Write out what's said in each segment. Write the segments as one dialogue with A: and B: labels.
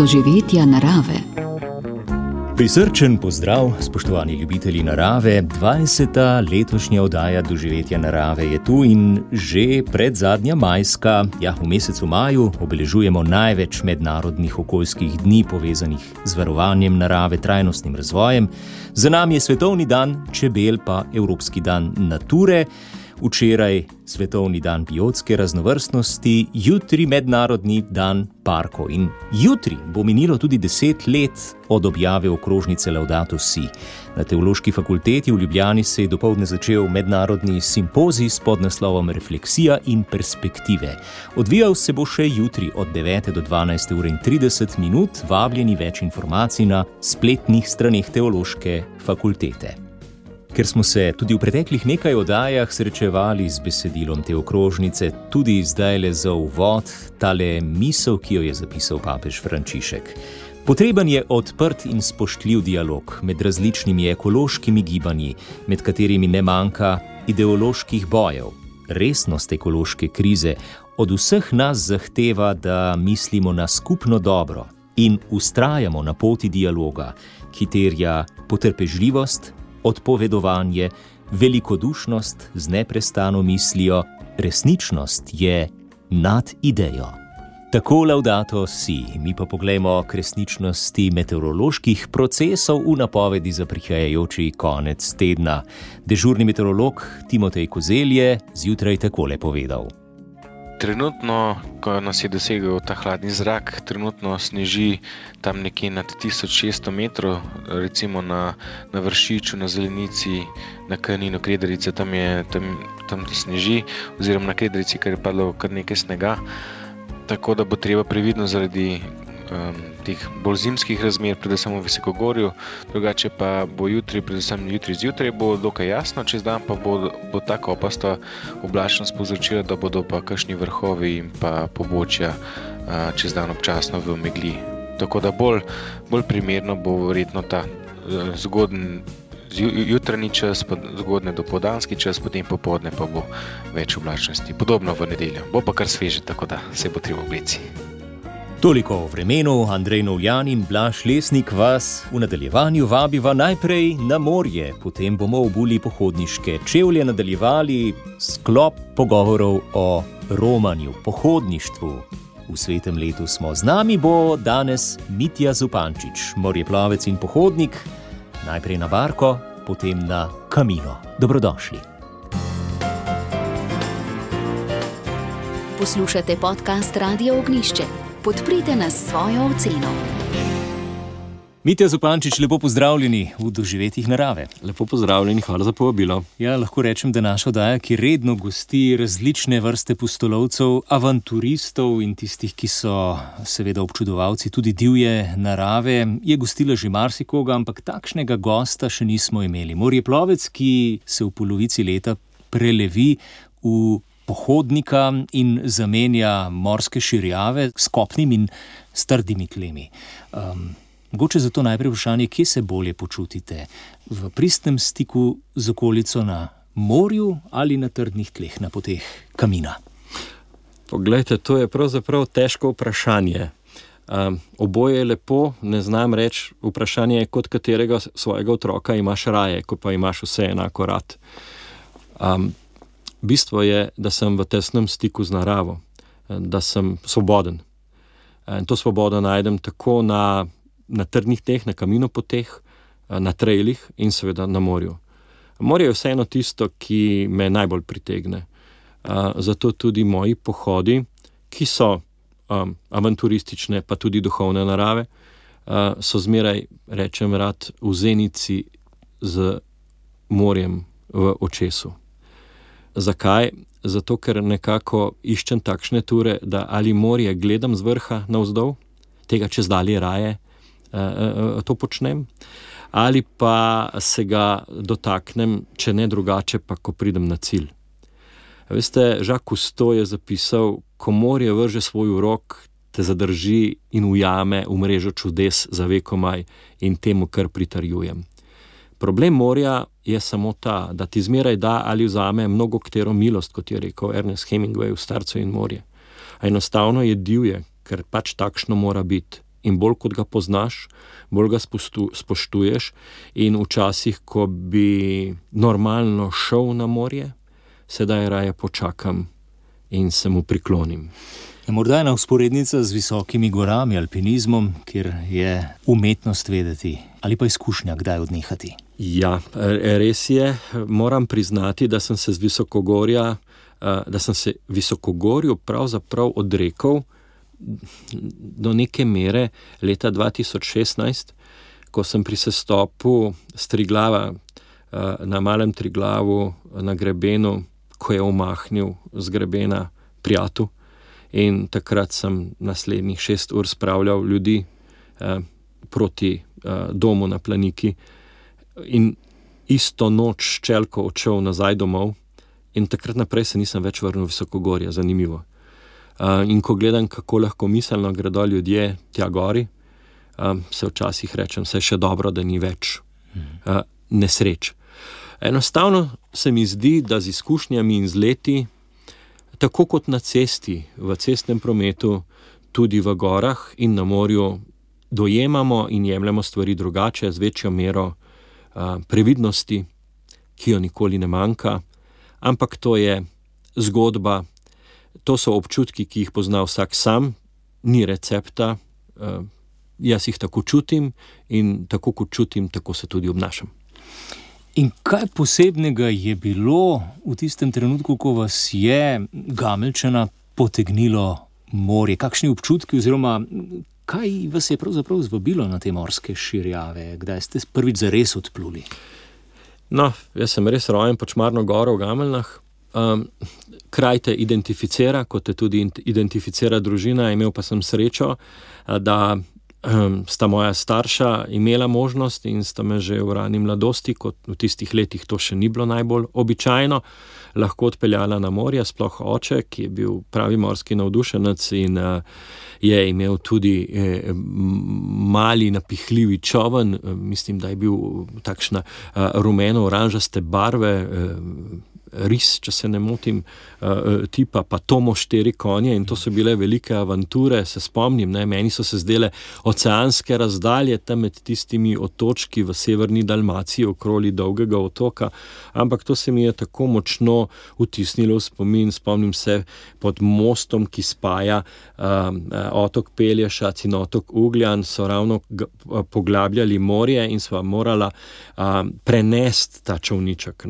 A: doživetja narave.
B: Prisrčen pozdrav, spoštovani ljubitelji narave. 20. letošnja oddaja Doživetja narave je tu in že predzadnja majska. V mesecu maju obeležujemo največ mednarodnih okoljskih dni povezanih z varovanjem narave, trajnostnim razvojem. Za nami je Svetovni dan čebel, pa Evropski dan nature. Včeraj Svetovni dan biotske raznovrstnosti, jutri Mednarodni dan parkov. In jutri bo minilo tudi 10 let od objave okrožnice Laudato Si. Na Teološki fakulteti v Ljubljani se je dopoldne začel mednarodni simpozij s podnaslovom Refleksija in perspektive. Odvijal se bo še jutri od 9. do 12:30. Vabljeni več informacij na spletnih straneh Teološke fakultete. Ker smo se tudi v preteklih nekaj oddajah srečevali z besedilom te okrožnice, tudi zdajle za uvod tale misel, ki jo je zapisal papež Frančišek. Potreben je odprt in spoštljiv dialog med različnimi ekološkimi gibanji, med katerimi ne manjka ideoloških bojev. Resnost ekološke krize od vseh nas zahteva, da mislimo na skupno dobro in vztrajamo na poti dialoga, ki terja potrpežljivost, odpovedovanje, velikodušnost z neprestano mislijo, resničnost je nad idejo. Tako Laudato Si, mi pa poglejmo k resničnosti meteoroloških procesov v napovedi za prihajajoči konec tedna. Dežurni meteorolog Timotej Kozelj je zjutraj takole povedal.
C: Trenutno, ko nas je dosegel ta hladni zrak, trenutno sneži tam nekje nad 1600 metrov, recimo na Vršiču, na Zelenici, na Kaninu, Krederice, tam sneži, oziroma na Krederici, ker je padlo kar nekaj snega. Tako da bo treba previdno zaradi teh bolj zimskih razmer, predvsem v Visokogorju, drugače pa bo jutri, predvsem jutri zjutraj, bo dokaj jasno, čez dan pa bo tako opasta oblačnost povzročila, da bodo pa kakšni vrhovi in pa pobočja čez dan občasno v megli. Tako da bolj primerno bo verjetno ta zgoden jutranji čas, pa zgodne dopoldanski čas, potem popoldne pa bo več oblačnosti. Podobno v nedeljo. Bo pa kar sveže, tako da se bo treba obleci.
B: Toliko o vremenu. Andrej Novljan in Blaž Lesnik vas v nadaljevanju vabiva najprej na morje, potem bomo obuli pohodniške čevlje, nadaljevali sklop pogovorov o romanju, pohodništvu. V svetem letu smo. Z nami bo danes Mitja Zupančič, morjeplavec in pohodnik, najprej na barko, potem na Camino. Dobrodošli.
A: Poslušate podcast Radia Ognjišče. Podprite nas s svojo oceno.
B: Mitja Zupančič, lepo pozdravljeni v Doživetjih narave.
D: Lepo pozdravljeni, hvala za povabilo.
B: Lahko rečem, da naša oddaja, ki redno gosti različne vrste pustolovcev, avanturistov in tistih, ki so seveda občudovalci tudi divje narave, je gostila že marsikoga, ampak takšnega gosta še nismo imeli. Morjeplovec, ki se v polovici leta prelevi v pohodnika in zamenja morske širjave s kopnim in s trdimi tlemi. Mogoče zato najprej vprašanje, kje se bolje počutite? V pristnem stiku z okolico na morju ali na trdnih tleh na poteh Camina?
D: Poglejte, to je pravzaprav težko vprašanje. Oboje je lepo, ne znam reči, vprašanje je, kot katerega svojega otroka imaš raje, ko pa imaš vse enako rad. Bistvo je, da sem v tesnem stiku z naravo, da sem svoboden. In to svobodo najdem tako na trdnih tleh, na Camino poteh, na trailih in seveda na morju. Morje je vseeno tisto, ki me najbolj pritegne. Zato tudi moji pohodi, ki so avanturistične, pa tudi duhovne narave, so zmeraj, rečem rad, v zenici z morjem v očesu. Zakaj? Zato, ker nekako iščem takšne ture, da ali morje gledam z vrha navzdol, tega čez dalje raje to počnem, ali pa se ga dotaknem, če ne drugače, pa ko pridem na cilj. Veste, Jacques Cousteau je zapisal, ko morje vrže svoj urok, te zadrži in ujame v mrežo čudes za vekomaj in temu kar pritarjujem. Problem morja je samo ta, da ti zmeraj da ali vzame mnogo katero milost, kot je rekel Ernest Hemingway v Starcu in morje. A enostavno je divje, ker pač takšno mora biti. in bolj kot ga poznaš, bolj ga spoštuješ in včasih, ko bi normalno šel na morje, sedaj raje počakam in se mu priklonim.
B: Morda je ena vzporednica z visokimi gorami, alpinizmom, kjer je umetnost vedeti ali pa izkušnja, kdaj odnehati.
D: Ja, res je. Moram priznati, da sem se visokogorju pravzaprav odrekel do neke mere leta 2016, ko sem pri sestopu s Triglava na Malem Triglavu na grebenu, ko je omahnil z grebena Prijatu, in takrat sem naslednjih 6 ur spravljal ljudi proti domu na Planiki in isto noč s čelko odšel nazaj domov in takrat naprej se nisem več vrnil v visokogorje, zanimivo. In ko gledam, kako lahko miselno gredo ljudje tja gori, se včasih rečem, saj še dobro, da ni več nesreč. Enostavno se mi zdi, da z izkušnjami in z leti, tako kot na cesti, v cestnem prometu, tudi v gorah in na morju, dojemamo in jemljemo stvari drugače, z večjo mero previdnosti, ki jo nikoli ne manjka, ampak to je zgodba, to so občutki, ki jih pozna vsak sam, ni recepta, jaz jih tako čutim in tako kot čutim, tako se tudi obnašam.
B: In kaj posebnega je bilo v tistem trenutku, ko vas je Gameljčana potegnilo morje? Kakšni občutki oziroma kaj vas je pravzaprav zvabilo na te morske širjave? Kdaj ste prvič zares odpluli?
D: No, jaz sem res rojen pod Šmarno goro v Gameljnah. Kraj te identificira, kot te tudi identificira družina. Imel pa sem srečo, da sta moja starša imela možnost in sta me že v rani mladosti, kot v tistih letih to še ni bilo najbolj običajno, lahko odpeljala na morje, sploh oče, ki je bil pravi morski navdušenec in je imel tudi mali napihljivi čoln, mislim, da je bil takšna rumeno-oranžaste barve, ris, če se ne motim, tipa pa Tomo 4 konje in to so bile velike avanture, se spomnim, meni so se zdele oceanske razdalje tam med tistimi otočki v severni Dalmaciji okroli Dolgega otoka, ampak to se mi je tako močno vtisnilo v spomin. Spomnim se pod mostom, ki spaja otok Pelješac in otok Ugljan, so ravno poglabljali morje in sva morala prenesti ta čolniček.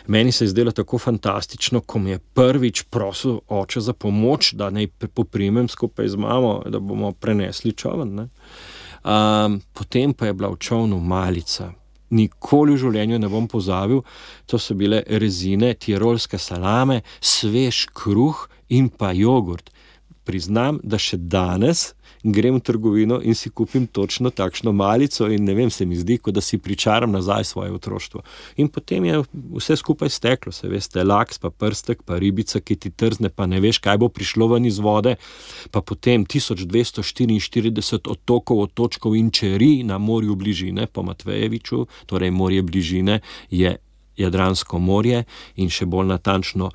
D: Meni se je zdelo tako fantastično, ko mi je prvič prosil oče za pomoč, da naj poprimem skupaj z mamo, da bomo prenesli čoln. Potem pa je bila v čolnu malica. Nikoli v življenju ne bom pozabil, to so bile rezine, tirolske salame, svež kruh in pa jogurt. Priznam, da še danes grem v trgovino in si kupim točno takšno malico in ne vem, se mi zdi, kot da si pričaram nazaj svoje otroštvo. In potem je vse skupaj steklo, se veste, laks, pa prstek, pa ribica, ki ti trzne, pa ne veš, kaj bo prišlo ven iz vode, pa potem 1244 otokov, otočkov in čeri na morju bližine, po Matvejeviču, torej morje bližine je Jadransko morje in še bolj natančno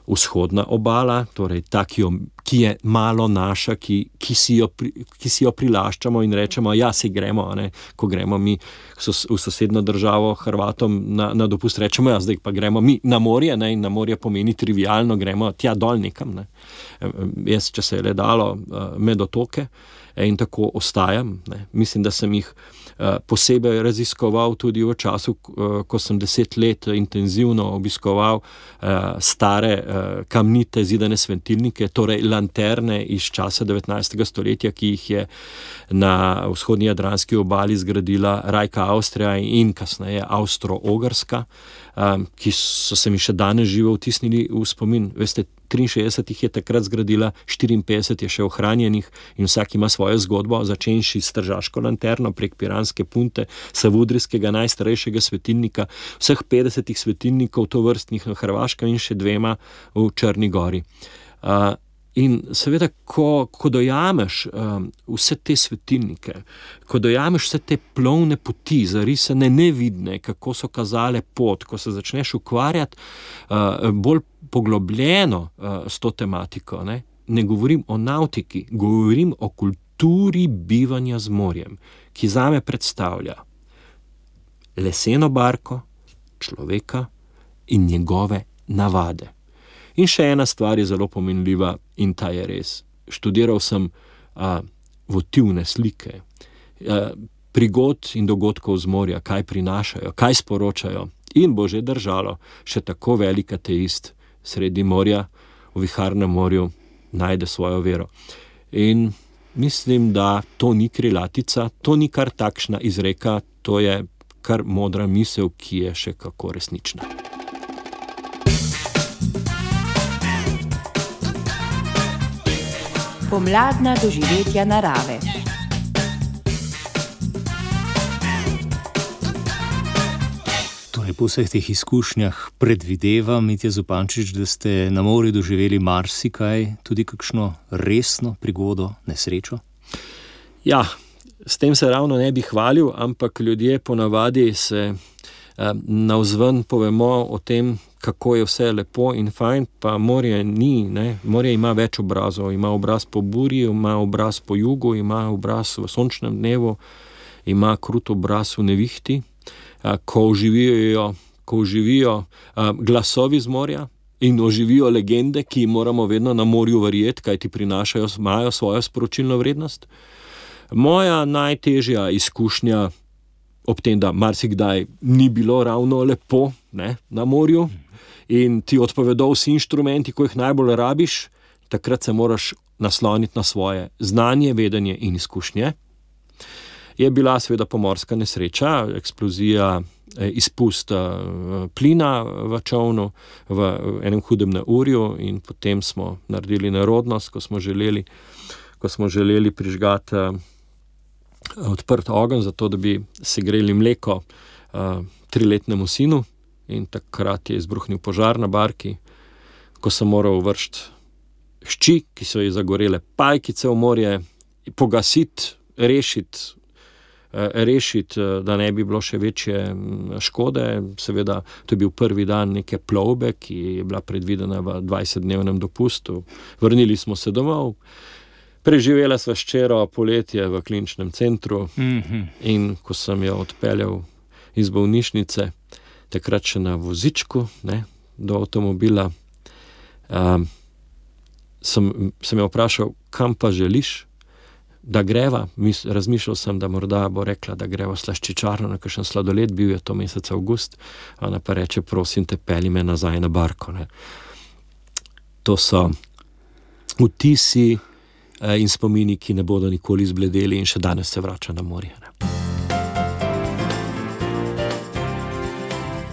D: vzhodna obala, torej ta, ki je malo naša, ki si jo prilaščamo in rečemo, ja, si gremo, ko gremo mi v sosedno državo Hrvatom na dopust, rečemo, ja, zdaj pa gremo mi na morje, in na morje pomeni trivialno, gremo tja dol nekam. Jaz, če se je le dalo, med otoke in tako ostajam. Mislim, da sem jih posebej raziskoval tudi v času, ko sem 10 let intenzivno obiskoval stare kamnite zidane svetilnike, torej lanterne iz časa 19. stoletja, ki jih je na vzhodni jadranski obali zgradila Rajka Avstrija in kasneje Avstro-Ogrska, ki so se mi še danes živo vtisnili v spomin. Veste, 63 jih je takrat zgradila, 54 je še ohranjenih in vsak ima svojo zgodbo, začenši s tržaško lanterno prek Piranske punte, savudrijskega najstarejšega svetilnika, vseh 50 svetilnikov tovrstnih na Hrvaškem in še 2 v Črni gori. In seveda, ko dojameš vse te svetilnike, ko dojameš vse te plovne poti, zarisane nevidne, kako so kazale pot, ko se začneš ukvarjati bolj poglobljeno s to tematiko, ne govorim o nautiki, govorim o kulturi bivanja z morjem, ki zame predstavlja leseno barko, človeka in njegove navade. In še ena stvar je zelo pomenljiva in ta je res. Študiral sem votivne slike, prigod in dogodkov z morja, kaj prinašajo, kaj sporočajo, in bo že držalo še tako velik ateist sredi morja, v viharnem morju, najde svojo vero. In mislim, da to ni krilatica, to ni kar takšna izreka, to je kar modra misel, ki je še kako resnična.
E: Pomladna doživetja narave.
B: Po vseh teh izkušnjah predvidevam, Mitja Zupančič, da ste na morju doživeli marsikaj, tudi kakšno resno prigodo, nesrečo?
D: Ja, s tem se ravno ne bi hvalil, ampak ljudje ponavadi se navzven povemo o tem, kako je vse lepo in fajn, pa morje ni, ne? Morje ima več obrazov, ima obraz po burji, ima obraz po jugu, ima obraz v sončnem dnevu, ima krut obraz v nevihti. Ko oživijo glasovi z morja in oživijo legende, ki moramo vedno na morju verjeti, kaj ti prinašajo, imajo svojo sporočilno vrednost. Moja najtežja izkušnja ob tem, da marsikdaj ni bilo ravno lepo, ne, na morju in ti odpovedo vsi inštrumenti, ko jih najbolj rabiš, takrat se moraš nasloniti na svoje znanje, vedenje in izkušnje. Je bila seveda pomorska nesreča, eksplozija, izpust plina v čolnu v enem hudem neurju in potem smo naredili nerodnost, ko smo želeli prižgati odprt ogenj, zato da bi segreli mleko 3-letnemu sinu, in takrat je izbruhnil požar na barki, ko sem moral vršiti hči, ki so ji zagorele pajkice v morje, pogasiti, rešiti, da ne bi bilo še večje škode. Seveda, to je bil prvi dan neke plovbe, ki je bila predvidena v 20-dnevnem dopustu. Vrnili smo se domov, preživela sva s hčero poletje v kliničnem centru in ko sem jo odpeljal iz bolnišnice, takrat še na vozičku, ne, do avtomobila, sem jo vprašal, kam pa želiš, da greva. Razmišljal sem, da morda bo rekla, da greva v slaščičarno na kakšen sladoled, bil je to mesec avgust, ona pa reče, prosim te, pelji me nazaj na barko. Ne. To so vtisi in spomini, ki ne bodo nikoli izbledeli in še danes se vrača na morje. Ne.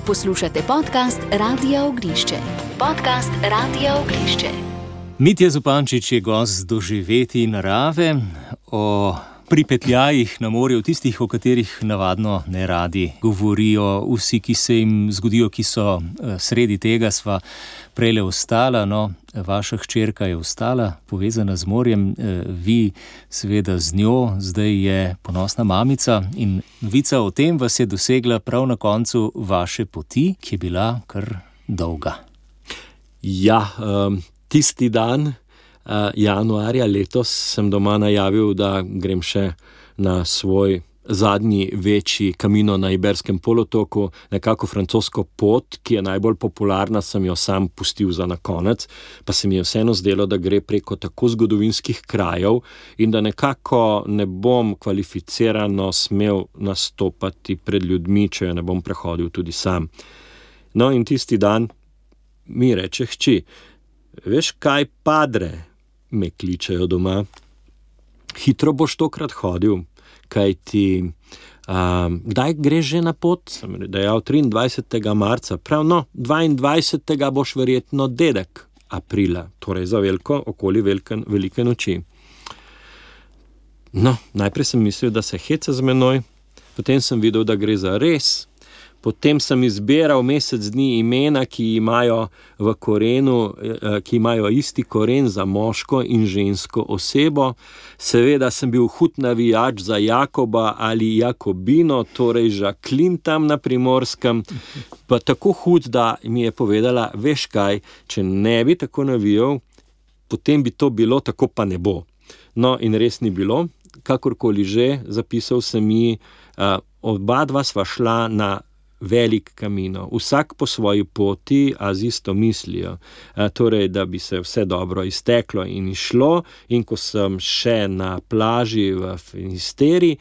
A: Poslušate podcast Radia Ognjišče. Podcast Radia Ognjišče.
B: Mitja Zupančič je gost doživetij narave, o pripetljajih na morju, tistih, o katerih navadno ne radi govorijo vsi, ki se jim zgodijo, ki so sredi tega. Sva prejle ostala, vaša hčerka je ostala povezana z morjem, vi seveda z njo, zdaj je ponosna mamica in novica o tem vas je dosegla prav na koncu vaše poti, ki je bila kar dolga.
D: Ja, tisti dan, januarja letos, sem doma najavil, da grem še na svoj zadnji večji Camino na Iberskem polotoku, nekako francosko pot, ki je najbolj popularna, sem jo sam pustil za na konec, pa se mi je vseeno zdelo, da gre preko tako zgodovinskih krajev in da nekako ne bom kvalificirano smel nastopati pred ljudmi, če jo ne bom prehodil tudi sam. No, in tisti dan mi reče hči, veš kaj, padre, me kličejo doma, hitro boš tokrat hodil, kaj ti, kdaj greš že na pot? Sem dejal 23. marca, prav 22. boš verjetno dedek aprila, torej za okoli velike noči. No, najprej sem mislil, da se heca z menoj, potem sem videl, da gre za res. Potem sem izbiral mesec dni imena, ki imajo v korenu, ki imajo isti koren za moško in žensko osebo. Seveda sem bil hud navijač za Jakoba ali Jakobino, torej Žaklin tam na Primorskem, pa tako hud, da mi je povedala, veš kaj, če ne bi tako navijal, potem bi to bilo, tako pa ne bo. No, in res ni bilo. kakorkoli že, zapisal sem ji, oba dva sva šla na velik Camino, vsak po svoji poti, a z isto mislijo. Torej, da bi se vse dobro izteklo in išlo, in ko sem še na plaži v Finisteri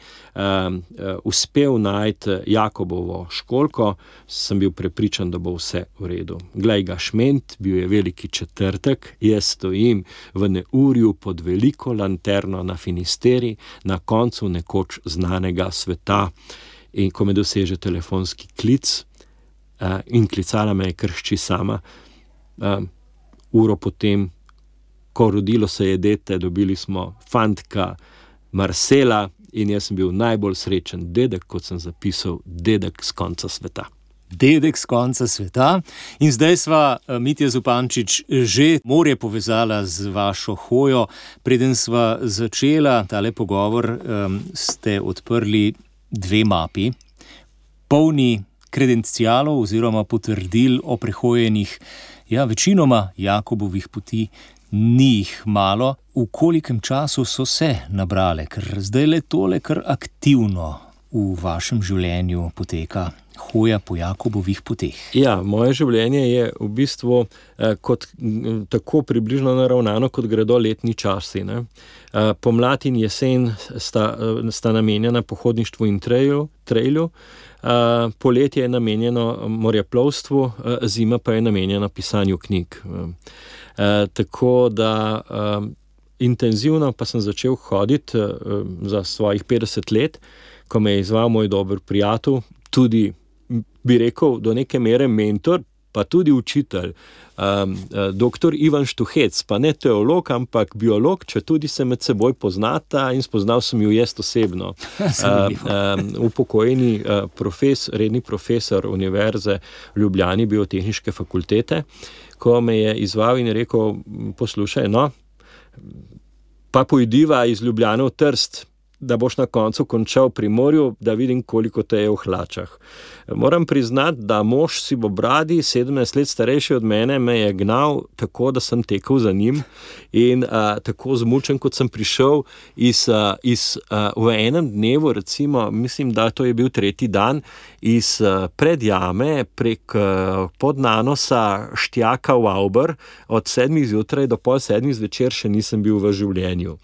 D: uspel najti Jakobovo školjko, sem bil prepričan, da bo vse v redu. Glej ga šment, bil je veliki četrtek, jaz stojim v neurju pod veliko lanterno na Finisteri, na koncu nekoč znanega sveta. In ko me doseže telefonski klic, in klicala me je kar hči sama, uro potem, ko rodilo se je dete, dobili smo fantka Marcela in jaz sem bil najbolj srečen dedek, kot sem zapisal, dedek z konca sveta.
B: Dedek z konca sveta. In zdaj sva, Mitja Zupančič, že morje povezala z vašo hojo. Preden sva začela tale pogovor, ste odprli 2 mapi, polni kredencialov oziroma potrdil o prehojenih, večinoma Jakobovih poti, ni jih malo. V kolikem času so se nabrale, ker zdaj le tole kar aktivno v vašem življenju poteka, hoja po Jakobovih poteh? Ja,
D: moje življenje je v bistvu kot tako približno naravnano, kot gredo letni časi, ne. Pomlad in jesen sta namenjena pohodništvu in trailu, poletje je namenjeno morjeplovstvu, zima pa je namenjena pisanju knjig. Tako da intenzivno pa sem začel hoditi za svojih 50 let, ko me je izval moj dober prijatelj, tudi bi rekel do neke mere mentor, pa tudi učitelj, doktor Ivan Štuhec, pa ne teolog, ampak biolog, če tudi se med seboj poznata, in spoznal sem ju jaz osebno. Upokojeni redni profesor Univerze v Ljubljani, biotehniške fakultete, ko me je izval in rekel, poslušaj, pa pojdiva iz Ljubljane v Trst, da boš na koncu končal pri morju, da vidim, koliko te je v hlačah. Moram priznati, da mož sivobradi, 17 let starejši od mene, me je gnal tako, da sem tekel za njim, in tako zmučen, kot sem prišel v enem dnevu, recimo, mislim, da to je bil 3. dan, iz predjame prek Podnanosa Štjaka v Avber, od 7 zjutraj do pol 7 zvečer še nisem bil v življenju.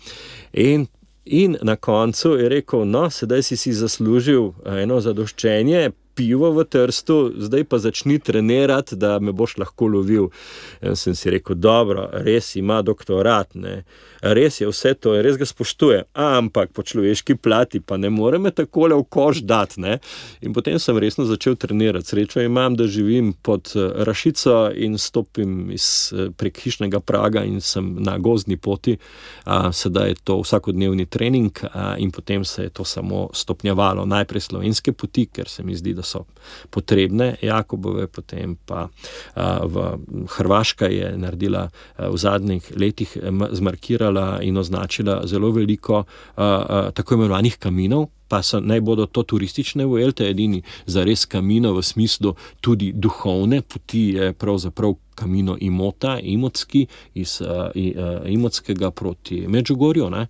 D: In na koncu je rekel, sedaj si zaslužil eno zadoščenje, pivo v Trstu, zdaj pa začni trenirati, da me boš lahko lovil. In sem si rekel, dobro, res ima doktorat, ne. Res je vse to, res ga spoštuje, ampak po človeški plati pa ne more me takole v koš dati, ne. In potem sem resno začel trenirati. Srečo imam, da živim pod Rašico in stopim prek hišnega praga in sem na gozdni poti. Sedaj je to vsakodnevni trening, in potem se je to samo stopnjevalo. Najprej slovenske poti, ker se mi zdi, da so potrebne, Jakobove, potem pa Hrvaška je naredila v zadnjih letih, zmarkirala in označila zelo veliko tako imenovanih kaminov, pa naj bodo to turistične vuelte, edini zares Camino v smislu tudi duhovne poti je pravzaprav Camino Imotski, iz Imotskega proti Medžugorju, ne.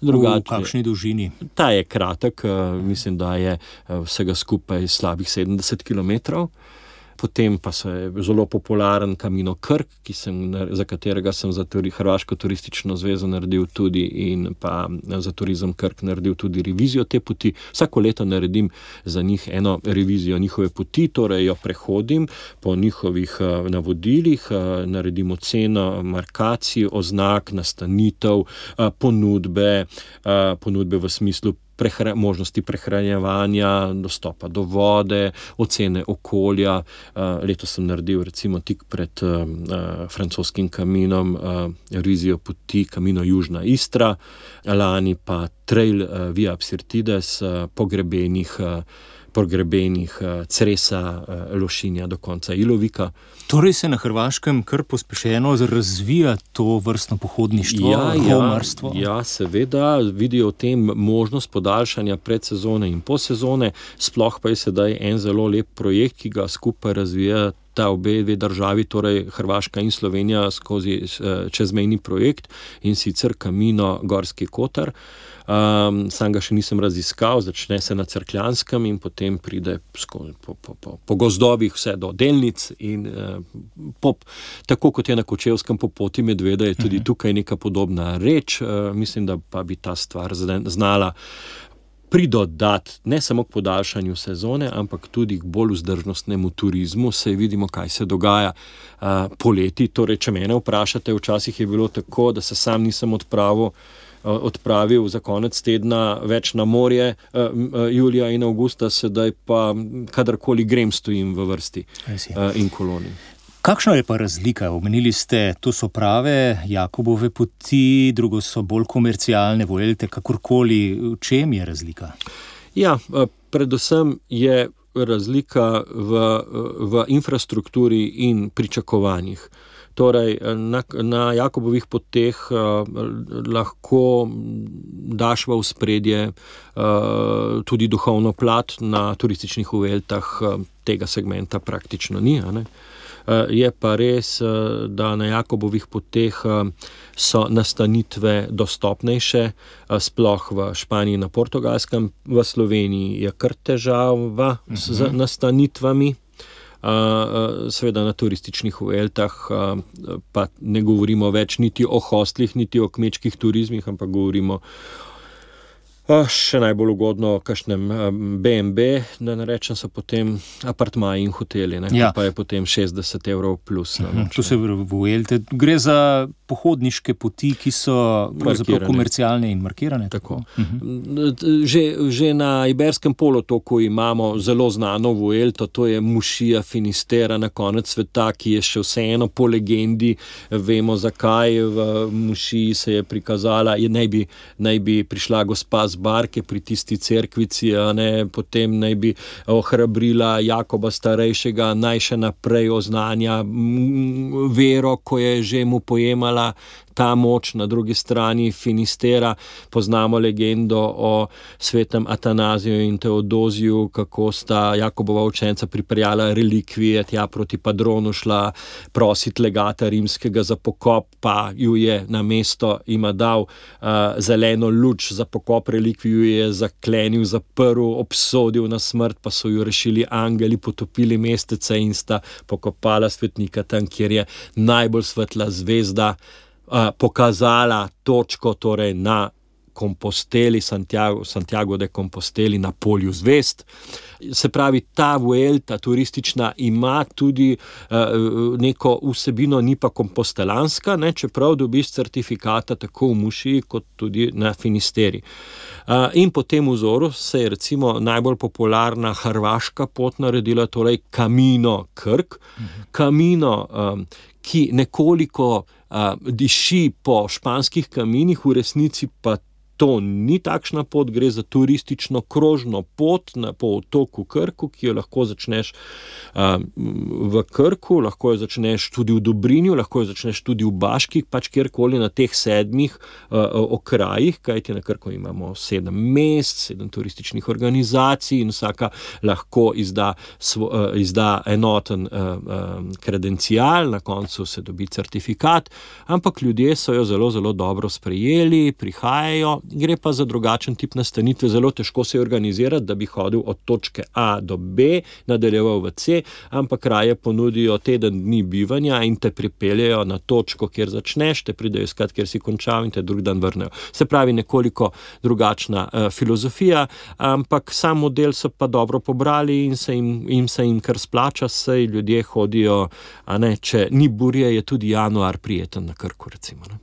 B: V kakšni dolžini?
D: Ta je kratek, mislim, da je vsega skupaj slabih 70 kilometrov. Potem pa je zelo popularen Camino Krk, za katerega sem za Hrvaško turistično zvezo naredil tudi, in pa za Turizem Krk naredil tudi revizijo te poti. Vsako leto naredim za njih eno revizijo njihove poti, torej jo prehodim po njihovih navodilih, naredim oceno markacij, oznak, nastanitev, ponudbe v smislu možnosti prehranjevanja, dostopa do vode, ocene okolja. Letos sem naredil recimo tik pred francoskim Caminom revizijo poti Camino Južna Istra, lani pa trail Via Psirtides, pogrebenih Cresa, Lošinja do konca Ilovika.
B: Torej se na Hrvaškem kar pospešeno razvija to vrstno pohodništvo, homarstvo?
D: Ja, seveda, vidijo v tem možnost podaljšanja predsezone in posezone, sploh pa je sedaj en zelo lep projekt, ki ga skupaj razvija sta obe državi, torej Hrvaška in Slovenija, skozi čezmejni projekt, in sicer Camino Gorski Kotar. Sam ga še nisem raziskal, začne se na Cerkljanskem in potem pride po gozdovih vse do Delnic in tako kot je na Kočevskem po poti medveda, je tudi tukaj neka podobna reč. Mislim, da pa bi ta stvar znala pridodati ne samo k podaljšanju sezone, ampak tudi k bolj vzdržnostnemu turizmu. Saj vidimo, kaj se dogaja poleti. Torej, če mene vprašate, včasih je bilo tako, da se sam nisem odpravil za konec tedna več na morje, julija in avgusta, sedaj pa kadarkoli grem, stojim v vrsti in koloni.
B: Kakšna je pa razlika? Omenili ste, to so prave Jakobove poti, drugo so bolj komercialne, Vuelte, kakorkoli. V čem je razlika?
D: Ja, predvsem je razlika v infrastrukturi in pričakovanjih. Torej, na Jakobovih poteh lahko daš v ospredje tudi duhovno plat, na turističnih Vueltah tega segmenta praktično ni, a ne? Je pa res, da na Jakobovih poteh so nastanitve dostopnejše, sploh v Španiji, na Portugalskem. V Sloveniji je kar težava z nastanitvami. Seveda na turističnih Vueltah pa ne govorimo več niti o hostlih, niti o kmečkih turizmih, ampak govorimo še najbolj ugodno o kakšnem B&B, da ne rečem, so potem apartmaji in hoteli, ne? Ja. Pa je potem 60 € plus.
B: To se Vuelte. Gre za pohodniške poti, ki so komercialne in markirane.
D: Tako. Že na Iberskem polotoku imamo zelo znano Vuelto, to je Mušija Finistera na konec sveta, ki je še vseeno po legendi, vemo zakaj. V Mušiji se je prikazala, naj bi prišla gospa z barke pri tisti cerkvici, potem naj bi ohrabrila Jakoba starejšega, naj še naprej oznanja vero, ko je že mu pojemala ta moč. Na drugi strani Finistera poznamo legendo o svetem Atanaziju in Teodoziju, kako sta Jakobova učenca pripeljala relikvije tja proti Padronu, šla prositi legata rimskega za pokop, pa ju je na mesto ima dal zeleno luč za pokop relikvij, ju je zaklenil, zaprl, obsodil na smrt, pa so ju rešili angeli, potopili mestece in sta pokopala svetnika tam, kjer je najbolj svetla zvezda pokazala točko, torej na Komposteli, Santiago de Composteli, na polju zvezd. Se pravi, ta Vuelta turistična ima tudi neko vsebino, ni pa kompostelanska, ne, čeprav dobiš certifikata tako v Mušiji kot tudi na Finisteri. In po tem vzoru se je recimo najbolj popularna hrvaška pot naredila, torej Camino Krk. Camino, ki nekoliko diši po španskih kaminih, v resnici pa to ni takšna pot, gre za turistično krožno pot po otoku Krku, ki jo lahko začneš v Krku, lahko jo začneš tudi v Dobrinju, lahko jo začneš tudi v Baški, pač kjerkoli na teh 7 okrajih, kajti na Krku imamo 7 mest, 7 turističnih organizacij in vsaka lahko izda enoten kredencial, na koncu se dobi certifikat, ampak ljudje so jo zelo, zelo dobro sprejeli, prihajajo. Gre pa za drugačen tip nastanitve, zelo težko se je organizirati, da bi hodil od točke A do B, nadaljeval v C, ampak raje ponudijo teden dni bivanja in te pripeljejo na točko, kjer začneš, te pridejo iskat, kjer si končal in te drug dan vrnejo. Se pravi, nekoliko drugačna filozofija, ampak sam model so pa dobro pobrali in se jim kar splača, saj ljudje hodijo, a ne, če ni burje, je tudi januar prijeten na Krku, recimo, ne.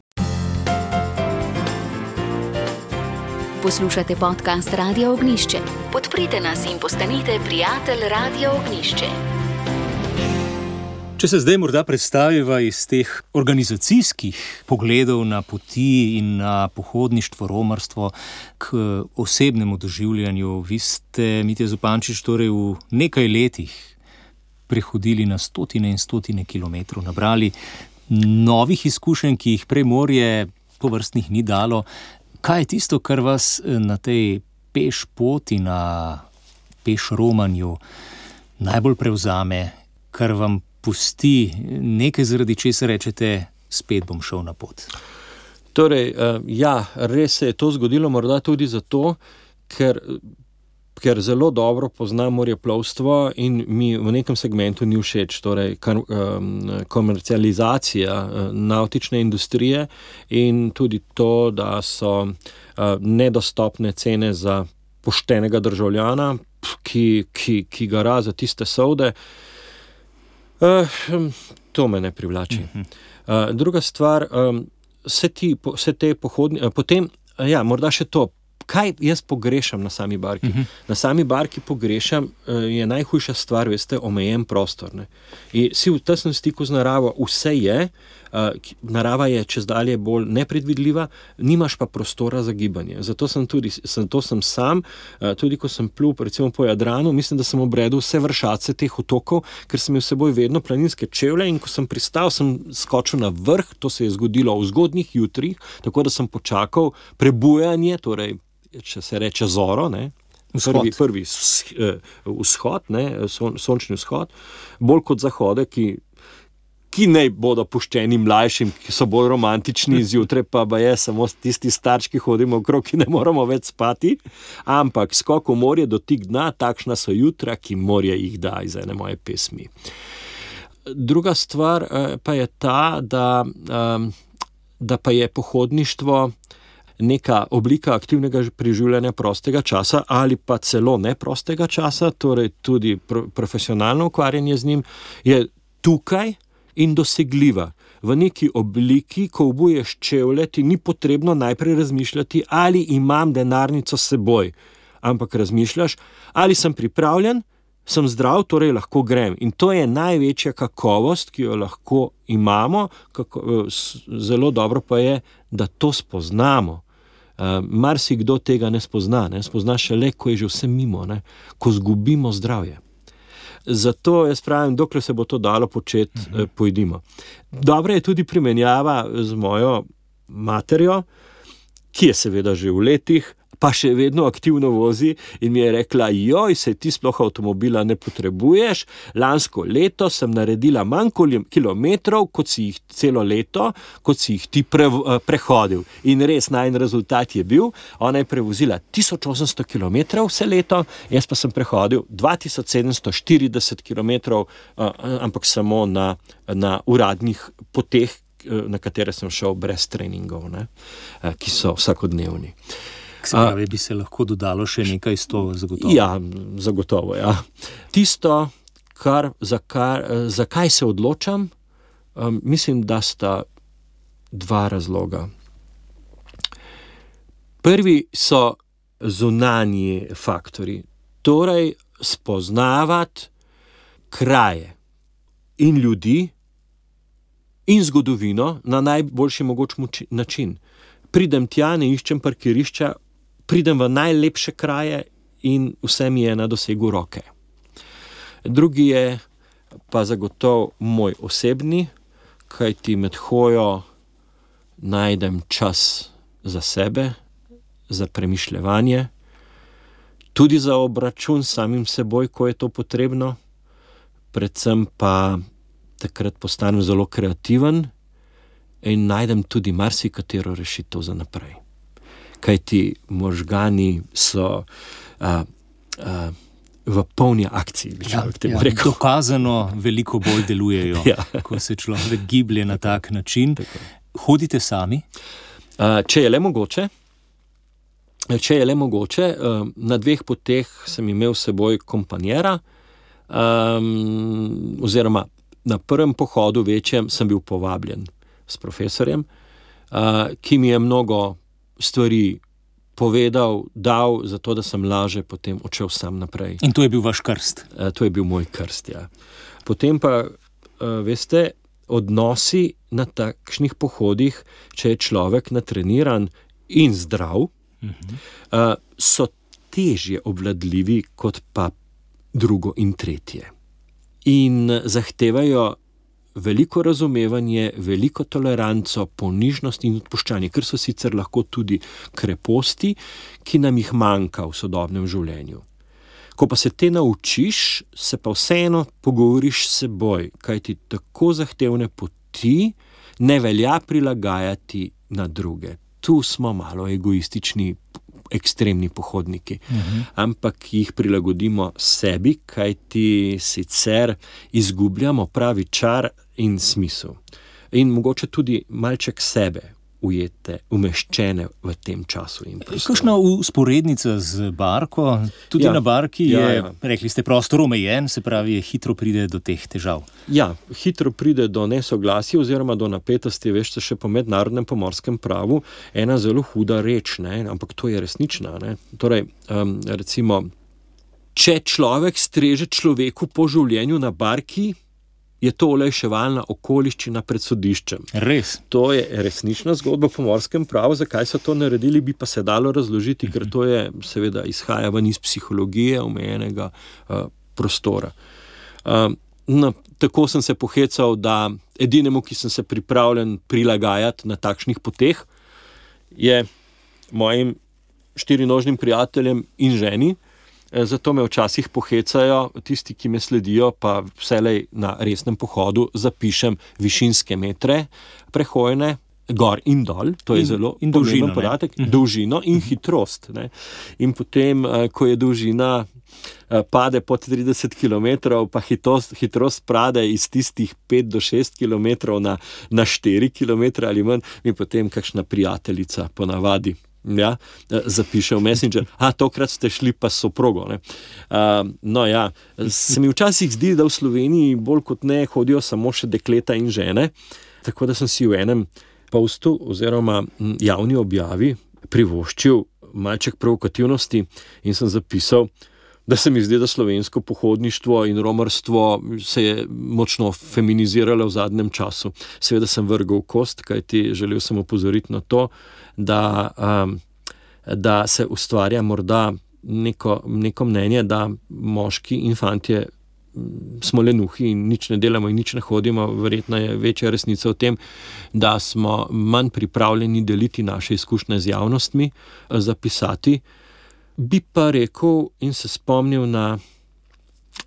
A: Poslušate podcast Radia Ognjišče. Podprite nas in postanite prijatelj Radia Ognjišče.
B: Če se zdaj morda predstaviva iz teh organizacijskih pogledov na poti in na pohodništvo, romarstvo k osebnemu doživljanju, vi ste, Mitja Zupančič, torej v nekaj letih prehodili na stotine in stotine kilometrov, nabrali novih izkušenj, ki jih prej morje tovrstnih ni dalo. Kaj je tisto, kar vas na tej peš poti, na peš romanju najbolj prevzame, kar vam pusti nekaj, zaradi česar rečete, spet bom šel na pot?
D: Torej, res se je to zgodilo morda tudi zato, ker zelo dobro poznam morjeplovstvo in mi v nekem segmentu ni všeč, torej komercializacija navtične industrije in tudi to, da so nedostopne cene za poštenega državljana, ki gara za tiste solde. To me ne privlači. Druga stvar, vse te pohodne, potem, morda še to, kaj jaz pogrešam na sami barki? Na sami barki pogrešam, je najhujša stvar, veste, omejen prostor. Ne? In si v tesnem stiku z naravo, vse je, narava je čezdalje bolj nepredvidljiva, nimaš pa prostora za gibanje. Zato sem sam, tudi ko sem plul recimo po Jadranu, mislim, da sem obredil vse vršace teh otokov, ker sem imel s seboj vedno planinske čevlje in ko sem pristal, sem skočil na vrh, to se je zgodilo v zgodnjih jutrih, tako da sem počakal prebujanje, torej, če se reče zoro, ne? Prvi vzhod, ne? Sončni vzhod, bolj kot zahode, ki ne bodo puščeni mlajšim, ki so bolj romantični, zjutraj pa je samo tisti starčki hodimo okrog, ki ne moramo več spati, ampak skok v morje, dotik dna, takšna so jutra, ki morje jih da, iz ene moje pesmi. Druga stvar pa je ta, da pa je pohodništvo neka oblika aktivnega preživljanja prostega časa ali pa celo neprostega časa, torej tudi profesionalno ukvarjanje z njim, je tukaj in dosegljiva. V neki obliki, ko obuješ čevlje, ti ni potrebno najprej razmišljati, ali imam denarnico s seboj, ampak razmišljaš, ali sem pripravljen, sem zdrav, torej lahko grem. In to je največja kakovost, ki jo lahko imamo, zelo dobro pa je, da to spoznamo. Marsikdo tega ne spozna, spozna šele, ko je že vse mimo, ko zgubimo zdravje. Zato jaz pravim, dokler se bo to dalo početi, pojdimo. Dobra je tudi primerjava z mojo materjo, ki je seveda že v letih, pa še vedno aktivno vozi in mi je rekla, se ti sploh avtomobila ne potrebuješ, lansko leto sem naredila manj kilometrov, kot si jih celo leto, kot si jih ti prehodil. In res, najin rezultat je bil, ona je prevozila 1800 kilometrov vse leto, jaz pa sem prehodil 2740 kilometrov, ampak samo na uradnih poteh, na katere sem šel brez treningov, ki so vsakodnevni.
B: Se pravi, bi se lahko dodalo še nekaj 100 zagotovo?
D: Ja, zagotovo, ja. Tisto, zakaj se odločam, mislim, da sta dva razloga. Prvi so zunanji faktori, torej spoznavati kraje in ljudi in zgodovino na najboljši mogoč način. Pridem tja, ne iščem parkirišča, pridem v najlepše kraje in vse mi je na dosegu roke. Drugi je pa zagotovo moj osebni, kajti med hojo najdem čas za sebe, za premišljevanje, tudi za obračun s samim seboj, ko je to potrebno, predvsem pa takrat postanem zelo kreativen in najdem tudi marsikatero rešitev za naprej. Kajti možgani so v polni akciji, bi človek temu rekel.
B: Dokazano veliko bolj delujejo, ko se človek giblje na tak način. Hodite sami?
D: Če je le mogoče, na 2 poteh sem imel s seboj kompanjera, oziroma na prvem pohodu večjem sem bil povabljen s profesorjem, ki mi je mnogo stvari povedal, dal, zato da sem laže potem odšel sam naprej.
B: In to je bil vaš krst?
D: To je bil moj krst, ja. Potem pa, veste, odnosi na takšnih pohodih, če je človek natreniran in zdrav, so težje obvladljivi kot pa drugo in tretje. In zahtevajo veliko razumevanje, veliko toleranco, ponižnost in odpuščanje, ker so sicer lahko tudi kreposti, ki nam jih manjka v sodobnem življenju. Ko pa se te naučiš, se pa vseeno pogovoriš s seboj, kajti tako zahtevne poti ne velja prilagajati na druge. Tu smo malo egoistični, ekstremni pohodniki, ampak jih prilagodimo sebi, kajti sicer izgubljamo pravi čar in smisel. In mogoče tudi malček sebe ujete, umeščene v tem času in prostoru.
B: Kakšna usporednica z barko? Tudi na barki je, rekli ste, prostor omejen, se pravi, hitro pride do teh težav.
D: Ja, hitro pride do nesoglasja oziroma do napetosti, veš, še po mednarodnem pomorskem pravu, ena zelo huda reč, ne? Ampak to je resnična. Ne? Torej, recimo, če človek streže človeku po življenju na barki, je to olajševalna okoliščina pred sodiščem.
B: Res.
D: To je resnična zgodba po pomorskem pravu. Zakaj so to naredili, bi pa se dalo razložiti, ker to je, seveda, izhaja ven iz psihologije omejenega prostora. Tako sem se pohecal, da edinemu, ki sem se pripravljen prilagajati na takšnih poteh, je mojim 4-nožnim prijateljem in ženi. Zato me včasih pohecajo, tisti, ki me sledijo, pa vselej na resnem pohodu zapišem višinske metre prehojene, gor in dol, to je zelo pomemben podatek, dolžino in hitrost. Ne. In potem, ko je dolžina pade pod 30 km, pa hitrost pade iz tistih 5 do 6 km na 4 km ali manj, mi potem kakšna prijateljica ponavadi zapiše v Messenger, tokrat ste šli pa s soprogo. Se mi včasih zdi, da v Sloveniji bolj kot ne hodijo samo še dekleta in žene, tako da sem si v enem postu oziroma javni objavi privoščil malček provokativnosti in sem zapisal, da se mi zdi, da slovensko pohodništvo in romarstvo se je močno feminiziralo v zadnjem času. Seveda sem vrgel kost, kajti želel sem opozoriti na to, da se ustvarja morda neko mnenje, da moški in fantje smo lenuhi in nič ne delamo in nič ne hodimo. Verjetno je večja resnica v tem, da smo manj pripravljeni deliti naše izkušnje z javnostmi, zapisati. Bi pa rekel in se spomnil na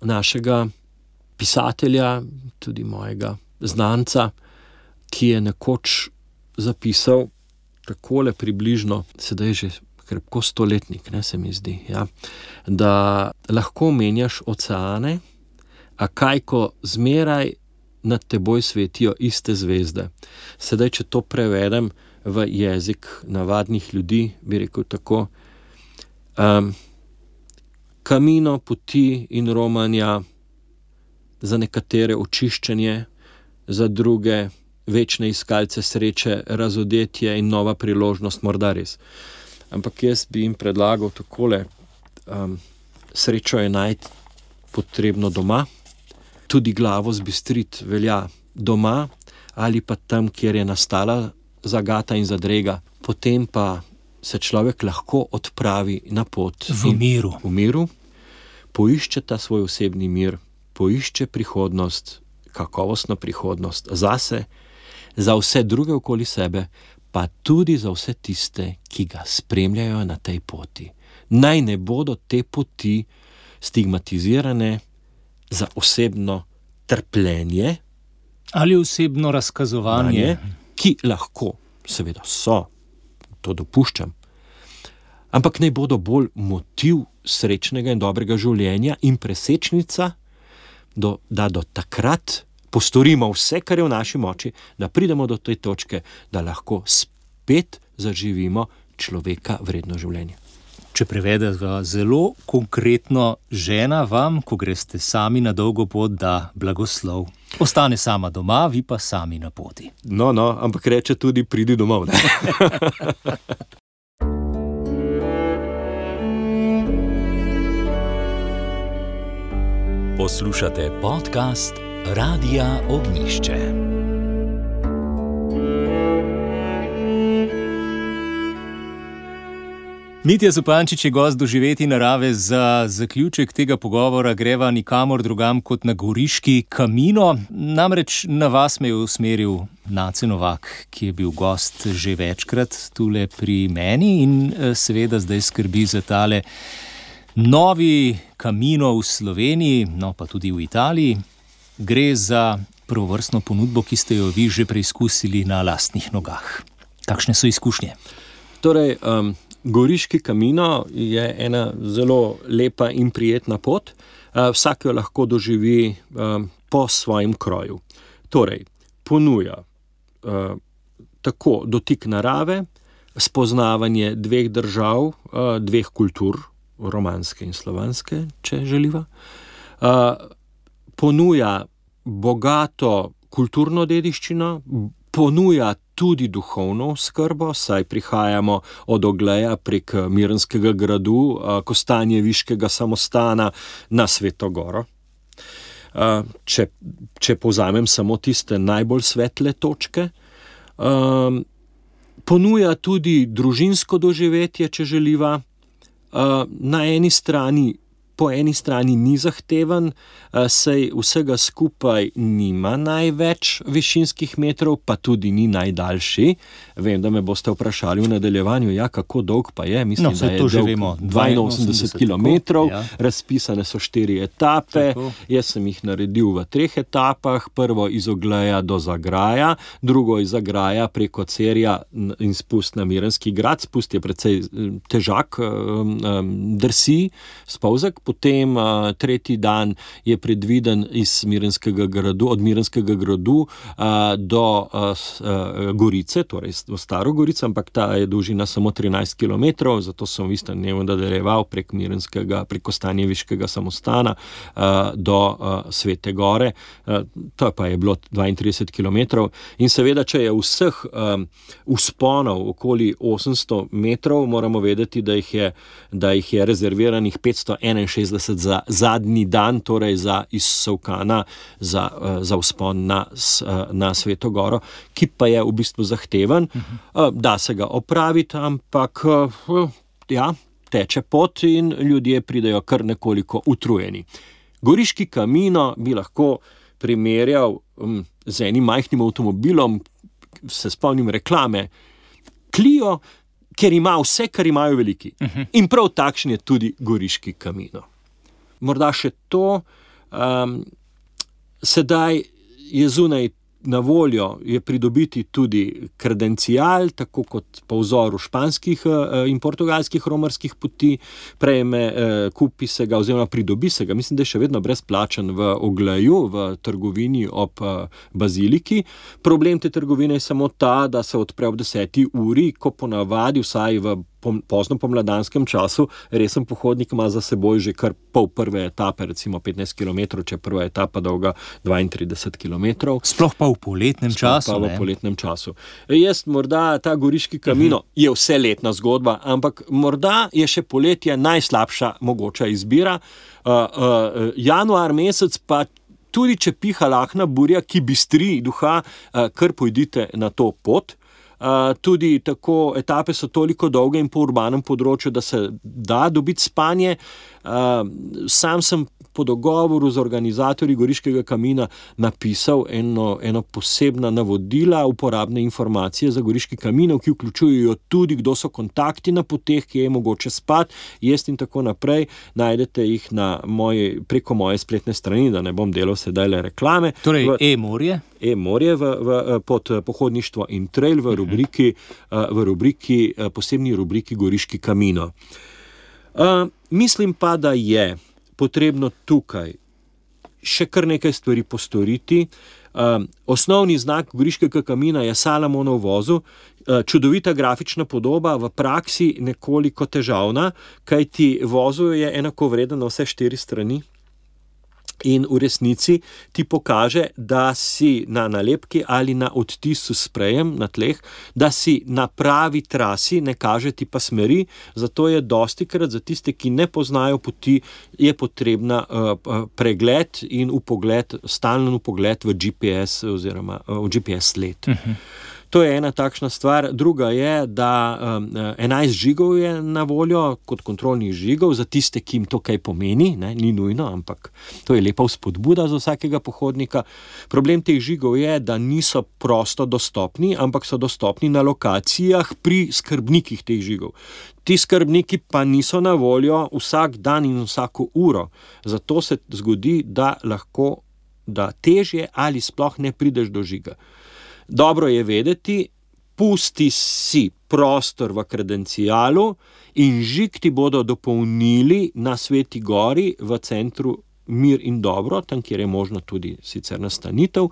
D: našega pisatelja, tudi mojega znanca, ki je nekoč zapisal takole približno, sedaj že krepko stoletnik, se mi zdi, da lahko menjaš oceane, a kaj ko zmeraj nad teboj svetijo iste zvezde. Sedaj, če to prevedem v jezik navadnih ljudi, bi rekel tako, kamino, poti in romanja, za nekatere očiščenje, za druge večne iskalce sreče, razodetje in nova priložnost, morda res. Ampak jaz bi jim predlagal takole, srečo je najti potrebno doma, tudi glavo zbistriti velja doma ali pa tam, kjer je nastala zagata in zadrega, potem pa se človek lahko odpravi na pot.
B: V miru.
D: Poišče ta svoj osebni mir, poišče prihodnost, kakovostno prihodnost zase, za vse druge okoli sebe, pa tudi za vse tiste, ki ga spremljajo na tej poti. Naj ne bodo te poti stigmatizirane za osebno trpljenje
B: ali osebno razkazovanje,
D: ki lahko, seveda so, to dopuščam, ampak naj bodo bolj motiv srečnega in dobrega življenja in presečnica, da do takrat postorimo vse, kar je v naši moči, da pridemo do te točke, da lahko spet zaživimo človeka vredno življenje.
B: Če prevedeva zelo konkretno, žena vam, ko greste sami na dolgo pot, da blagoslov. Ostane sama doma, vi pa sami na poti.
D: No, ampak reče tudi pridi domov.
A: Poslušate podcast Radia Ognjišče.
B: Mitja Zupančič je gost Doživeti narave. Za zaključek tega pogovora greva nikamor drugam kot na goriški Camino. Namreč na vas me je usmeril Nace Novak, ki je bil gost že večkrat tule pri meni in seveda zdaj skrbi za tale Novi Camino v Sloveniji, no pa tudi v Italiji, gre za prvovrstno ponudbo, ki ste jo vi že preizkusili na lastnih nogah. Kakšne so izkušnje?
D: Torej, Goriški Camino je ena zelo lepa in prijetna pot. Vsak jo lahko doživi po svojem kroju. Torej, ponuja tako dotik narave, spoznavanje dveh držav, dveh kultur, romanske in slovanske, če želiva. Ponuja bogato kulturno dediščino, ponuja tudi duhovno skrbo, saj prihajamo od Ogleja prek Mirenskega gradu, Kostanjeviškega samostana na Sveto Goro. Če povzamem samo tiste najbolj svetle točke. Ponuja tudi družinsko doživetje, če želiva. Po eni strani ni zahteven, saj vsega skupaj nima največ višinskih metrov, pa tudi ni najdaljši. Vem, da me boste vprašali v nadaljevanju, kako dolg pa je. Mislim, da je dolg 82 kilometrov, razpisane so 4 etape. Tako. Jaz sem jih naredil v 3 etapah. Prvo iz Ogleja do Zagraja, drugo iz Zagraja preko Cerja in spust na Mirenski grad. Spust je precej težak, drsi, spolzek. Potem tretji dan je predviden od Mirenskega gradu do Gorice, torej v Staro Gorico, ampak ta je dolžina samo 13 km, zato sem v istem dnevu nadaljeval prek Kostanjeviškega samostana do Svete Gore. To pa je bilo 32 km. In seveda, če je vseh vzponov okoli 800 metrov, moramo vedeti, da jih je rezerviranih 561 za zadnji dan, torej za iz Solkana, za vzpon na Sveto Goro, ki pa je v bistvu zahteven. Da se ga opraviti, ampak teče pot in ljudje pridejo kar nekoliko utrujeni. Goriški Camino bi lahko primerjal z enim majhnim avtomobilom, se spomnim reklame, Clio, ker ima vse, kar imajo veliki. In prav takšen je tudi Goriški Camino. Morda še to, sedaj je zunaj na voljo je pridobiti tudi kredencial, tako kot po vzoru španskih in portugalskih romarskih poti, kupi se ga oziroma pridobi se ga, mislim, da je še vedno brezplačen v Ogleju, v trgovini ob baziliki. Problem te trgovine je samo ta, da se odpre ob 10. uri, ko ponavadi vsaj v pozno pomladanskem času resen pohodnik ima za seboj že kar pol prve etape, recimo 15 km, če je prva etapa dolga 32 km.
B: Sploh pa v poletnem
D: času. Jaz morda ta Goriški Camino je vseletna zgodba, ampak morda je še poletje najslabša mogoča izbira. Januar mesec pa tudi, če piha lahna burja, ki bistri duha, kar pojdite na to pot. Tudi tako etape so toliko dolge in po urbanem področju, da se da dobiti spanje. Sam sem po dogovoru z organizatorji Goriškega Camina napisal eno posebna navodila, uporabne informacije za Goriški Camino, ki vključujejo tudi, kdo so kontakti na poteh, kje je mogoče spati, jesti in tako naprej. Najdete jih preko moje spletne strani, da ne bom delal sedaj le reklame.
B: Torej e-morje?
D: E-morje pod pohodništvo in trail v rubriki, posebni rubriki Goriški Camino. Mislim pa, da je potrebno tukaj še kar nekaj stvari postoriti. Osnovni znak Goriškega Camina je Salamonov vozel, čudovita grafična podoba, v praksi nekoliko težavna, kajti vozel je enakovreden na vse 4 strani. In v resnici ti pokaže, da si na nalepki ali na odtisu s sprejem na tleh, da si na pravi trasi, ne kaže ti pa smeri, zato je dostikrat za tiste, ki ne poznajo poti, je potrebna pregled in stalen vpogled v GPS oziroma v GPS sled. To je ena takšna stvar. Druga je, da 11 žigov je na voljo kot kontrolnih žigov za tiste, ki jim to kaj pomeni, ne? Ni nujno, ampak to je lepa vzpodbuda za vsakega pohodnika. Problem teh žigov je, da niso prosto dostopni, ampak so dostopni na lokacijah pri skrbnikih teh žigov. Ti skrbniki pa niso na voljo vsak dan in vsako uro. Zato se zgodi, da težje ali sploh ne prideš do žiga. Dobro je vedeti, pusti si prostor v kredencialu in žig ti bodo dopolnili na Sveti Gori v centru Mir in Dobro, tam, kjer je možno tudi sicer nastanitev,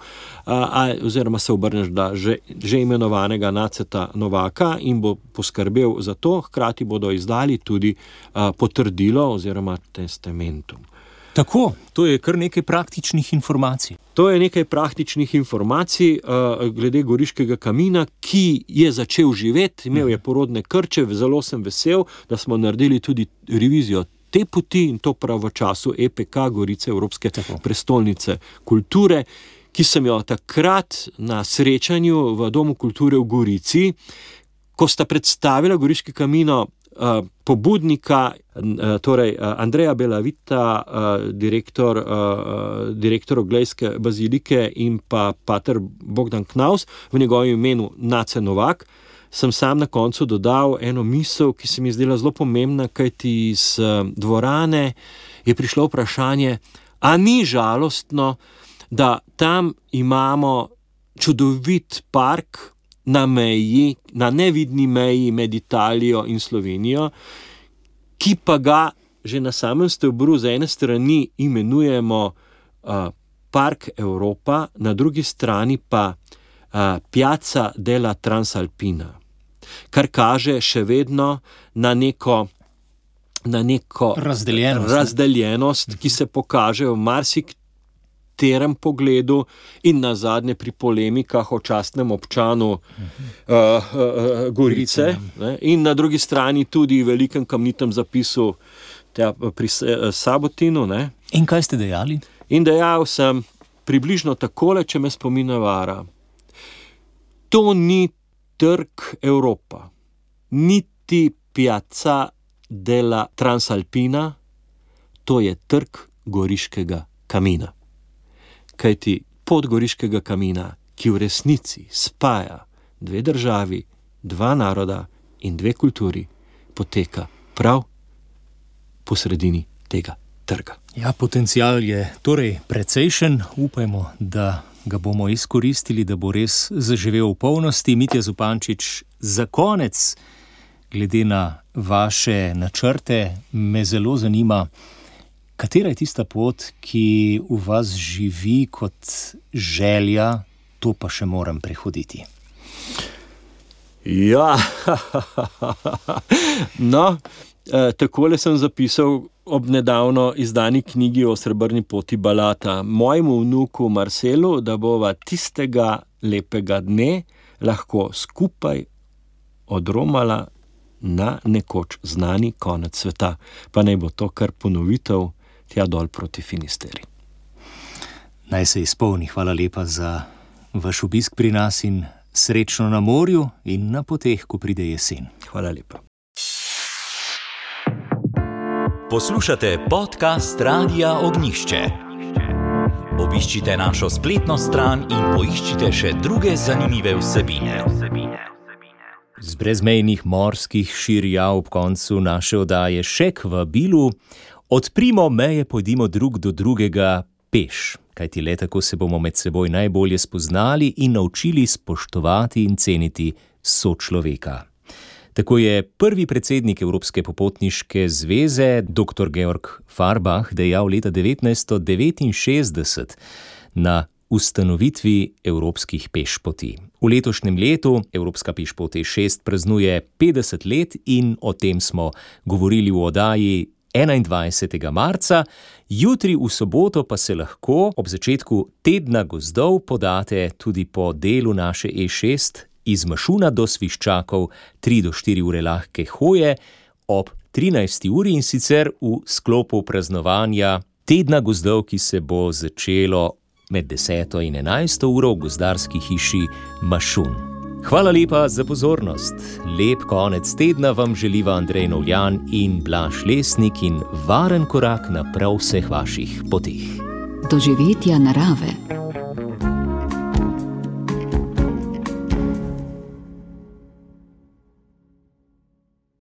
D: oziroma se obrneš da že imenovanega Naceta Novaka in bo poskrbel za to, hkrati bodo izdali tudi potrdilo oziroma testamentum.
B: Tako, to je kar nekaj praktičnih informacij.
D: To je nekaj praktičnih informacij glede Goriškega kamina, ki je začel živeti, imel je porodne krče, zelo sem vesel, da smo naredili tudi revizijo te poti in to prav v času EPK, Gorice, Evropske prestolnice kulture, ki sem jo takrat na srečanju v Domu kulture v Gorici, ko sta predstavila Goriški kamino pobudnika, torej Andreja Belavita, direktor Oglejske bazilike in pa pater Bogdan Knaus, v njegovem imenu Nace Novak, sem sam na koncu dodal eno misel, ki se mi zdela zelo pomembna, kajti iz dvorane je prišlo vprašanje, a ni žalostno, da tam imamo čudovit park na meji, na nevidni meji med Italijo in Slovenijo, ki pa ga že na samem stebru z ene strani imenujemo Park Europa, na drugi strani pa Piazza della Transalpina, kar kaže še vedno na neko razdeljenost, ki se pokaže v marsikterem pogledu in nazadnje pri polemikah o častnem občanu Gorice, in na drugi strani tudi velikem kamnitem zapisu pri Sabotinu. Ne.
B: In kaj ste dejali?
D: In dejal sem približno takole, če me spomin ne vara. To ni trg Evropa, niti Piazza della Transalpina, to je trg Goriškega kamina. Kajti pot Goriškega kamina, ki v resnici spaja dve državi, dva naroda in dve kulturi, poteka prav po sredini tega trga.
B: Ja, potencial je torej precejšen, upajmo, da ga bomo izkoristili, da bo res zaživel v polnosti. Mitja Zupančič, za konec, glede na vaše načrte, me zelo zanima, katera je tista pot, ki v vas živi kot želja, to pa še moram prehoditi.
D: Ja, no, takole sem zapisal ob nedavno izdani knjigi o srebrni poti Balata mojemu vnuku Marcelu, da bova tistega lepega dne lahko skupaj odromala na nekoč znani konec sveta. Pa naj bo to kar ponovitev tja dol proti Finisteri.
B: Naj se izpolni. Hvala lepa za vaš obisk pri nas in srečno na morju in na poteh, ko pride jesen.
D: Hvala lepa.
F: Poslušate podcast Radia Ognišče. Obiščite našo spletno stran in poiščite še druge zanimive vsebine.
B: Z brezmejnih morskih širja ob koncu naše oddaje še k vabilu. Odprimo meje, pojdimo drug do drugega peš, kajti le tako se bomo med seboj najbolje spoznali in naučili spoštovati in ceniti sočloveka. Tako je prvi predsednik Evropske popotniške zveze, dr. Georg Farbach, dejal leta 1969 na ustanovitvi evropskih pešpoti. V letošnjem letu Evropska pešpot E6 praznuje 50 let in o tem smo govorili v oddaji 21. marca. Jutri v soboto pa se lahko ob začetku tedna gozdov podate tudi po delu naše E6 iz Mašuna do Sviščakov, 3 do 4 ure lahke hoje ob 13. uri in sicer v sklopu praznovanja tedna gozdov, ki se bo začelo med 10. in 11. uro v gozdarski hiši Mašun. Hvala lepa za pozornost. Lep konec tedna vam želiva Andrej Novljan in Blaž Lesnik in varen korak na prav vseh vaših poteh.
A: Doživetja narave.